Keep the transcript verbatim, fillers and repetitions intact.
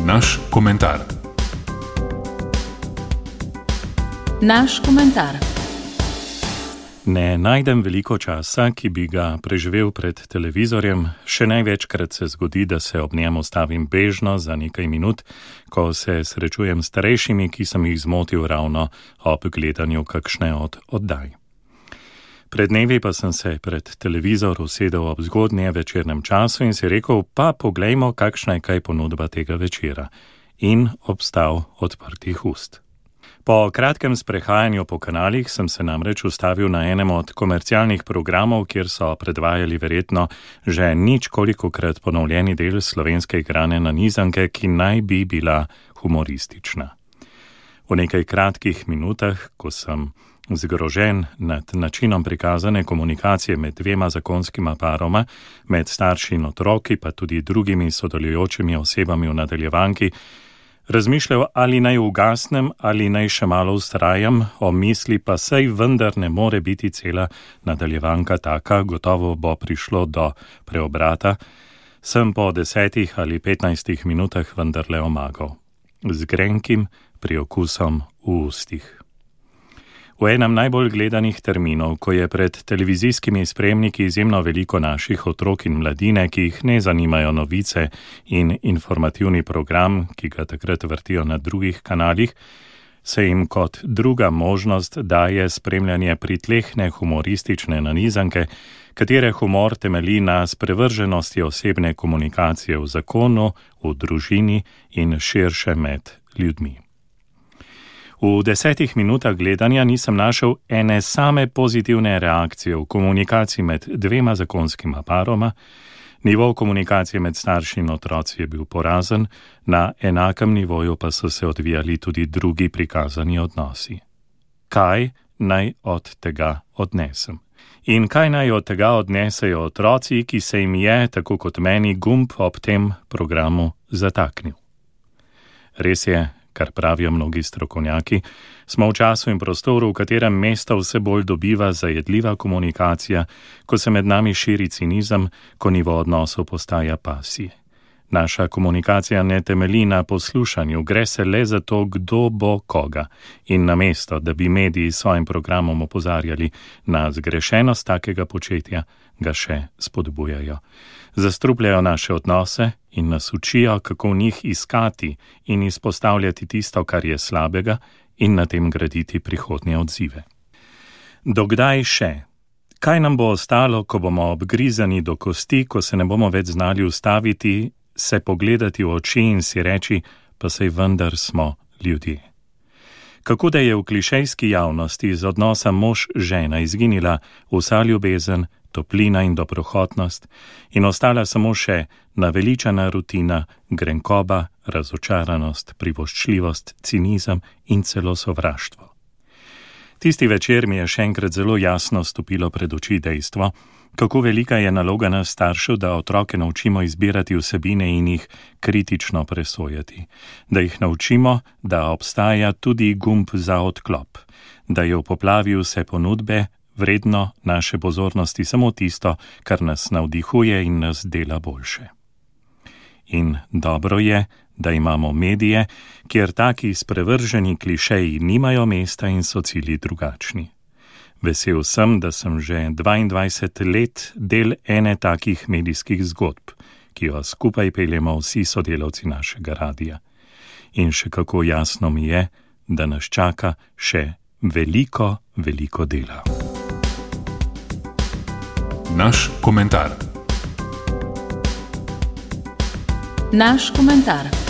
Naš komentar. Naš komentar. Ne najdem veliko časa, ki bi ga preživel pred televizorjem. Še največkrat se zgodi, da se ob njem ustavim bežno za nekaj minut, ko se srečujem s starejšimi, ki sem jih zmotil ravno ob gledanju kakšne od oddaj. Pred dnevi pa sem se pred televizor usedel ob zgodnje večernem času in si rekel, pa poglejmo, kakšna je kaj ponudba tega večera. In obstal odprtih ust. Po kratkem sprehajanju po kanalih sem se namreč ustavil na enem od komercialnih programov, kjer so predvajali verjetno že ničkolikokrat ponovljeni del slovenske igrane nanizanke, ki naj bi bila humoristična. V nekaj kratkih minutah, ko sem zgrožen nad načinom prikazane komunikacije med dvema zakonskima paroma, med starši in otroki, pa tudi drugimi sodelujočimi osebami v nadaljevanki, razmišljal, ali naj ugasnem ali naj še malo vztrajam, o misli pa sej vendar ne more biti cela nadaljevanka taka, gotovo bo prišlo do preobrata, sem po desetih ali petnajstih minutah vendarle omagal, z grenkim priokusom v ustih. V enem najbolj gledanih terminov, ko je pred televizijskimi spremniki izjemno veliko naših otrok in mladine, ki jih ne zanimajo novice in informativni program, ki ga takrat vrtijo na drugih kanalih, se jim kot druga možnost daje spremljanje pritlehne humoristične nanizanke, katere humor temelji na sprevrženosti osebne komunikacije v zakonu, v družini in širše med ljudmi. V desetih minutah gledanja nisem našel ene same pozitivne reakcije v komunikaciji med dvema zakonskima paroma, nivo komunikacije med starši in otroci je bil porazen, na enakem nivoju pa so se odvijali tudi drugi prikazani odnosi. Kaj naj od tega odnesem? In kaj naj od tega odnesejo otroci, ki se jim je, tako kot meni, gumb ob tem programu zataknil? Res je, kar pravijo mnogi strokovnjaki, smo v času in prostoru, v katerem mesto vse bolj dobiva zajedljiva komunikacija, ko se med nami širi cinizem, ko nivo odnosov postaja pasije. Naša komunikacija ne temelji na poslušanju, gre se le za to, kdo bo koga. In namesto, da bi mediji s svojim programom opozarjali na zgrešenost takega početja, ga še spodbujajo. Zastrupljajo naše odnose in nas učijo, kako v njih iskati in izpostavljati tisto, kar je slabega, in na tem graditi prihodnje odzive. Dokdaj še? Kaj nam bo ostalo, ko bomo obgrizani do kosti, ko se ne bomo več znali ustaviti, se pogledati v oči in si reči, pa sej vendar smo ljudje? Kako da je v klišejski javnosti iz odnosa mož-žena izginila vsa ljubezen, toplina in dobrohotnost in ostala samo še naveličana rutina, grenkoba, razočaranost, privoščljivost, cinizem in celo sovraštvo. Tisti večer mi je še enkrat zelo jasno stopilo pred oči dejstvo, kako velika je naloga nas staršev, da otroke naučimo izbirati vsebine in jih kritično presojati, da jih naučimo, da obstaja tudi gumb za odklop, da je v poplavi vse ponudbe vredno naše pozornosti samo tisto, kar nas navdihuje in nas dela boljše. In dobro je, da imamo medije, kjer taki sprevrženi klišeji nimajo mesta in so cilji drugačni. Vesel sem, da sem že dvaindvajset let del ene takih medijskih zgodb, ki jo skupaj peljemo vsi sodelavci našega radia. In še kako jasno mi je, da nas čaka še veliko, veliko dela. Naš komentar. Naš komentar.